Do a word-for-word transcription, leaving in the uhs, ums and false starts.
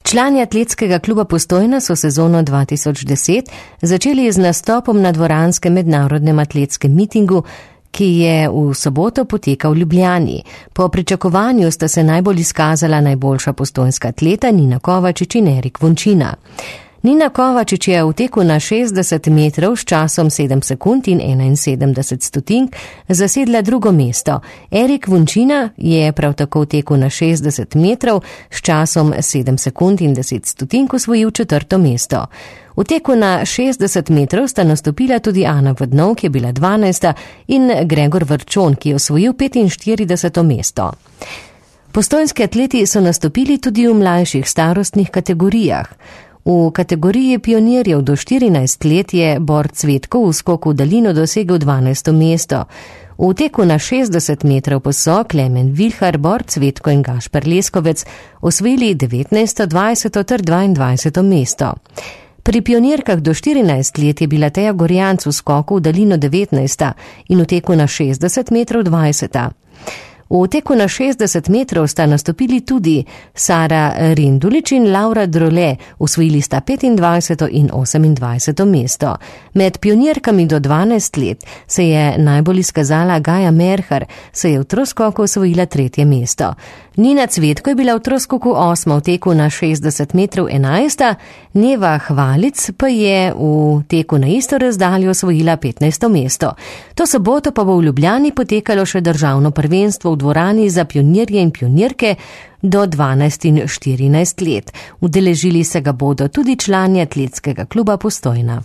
Člani atletskega kluba Postojna so sezono dva tisoč deset začeli z nastopom na dvoranskem mednarodnem atletskem mitingu, ki je v soboto potekal v Ljubljani. Po pričakovanju sta se najbolj izkazala najboljša postojnska atleta Nina Kovačič in Erik Vončina. Nina Kovačič je v teku na šestdeset metrov s časom sedem sekund in enainsedemdeset stotink zasedla drugo mesto. Erik Vončina je prav tako v teku na šestdeset metrov s časom sedem sekund in deset stotink osvojil četrto mesto. V teku na šestdeset metrov sta nastopila tudi Ana Vodnov, ki je bila dvanajsta, in Gregor Vrčon, ki je osvojil petinštirideseto mesto. Postojnski atleti so nastopili tudi v mlajših starostnih kategorijah. V kategoriji pionirjev do štirinajst let je Bor Cvetko v skoku v daljino dosegel dvanajsto mesto. V teku na šestdeset metrov pa so Klemen Vilhar, Bor Cvetko in Gašper Leskovec osvojili devetnajsto, dvajseto ter dvaindvajseto mesto. Pri pionirkah do štirinajst let je bila Teja Gorjanc v skoku v daljino devetnajsta in v teku na šestdeset metrov dvajseta. V teku na šestdeset metrov sta nastopili tudi Sara Rindulič in Laura Drole, osvojili sta petindvajseto in osemindvajseto mesto. Med pionirkami do dvanajst let se je najbolj izkazala Gaja Merhar, se je v troskoku osvojila tretje mesto. Nina Cvetko je bila v troskoku osma, v teku na šestdeset metrov enajsta, Neva Hvalic pa je v teku na isto razdaljo osvojila petnajsto mesto. To soboto pa bo v Ljubljani potekalo še državno prvenstvo v dvorani za pionirje in pionirke do dvanajst in štirinajst let. Udeležili se ga bodo tudi člani atletskega kluba Postojna.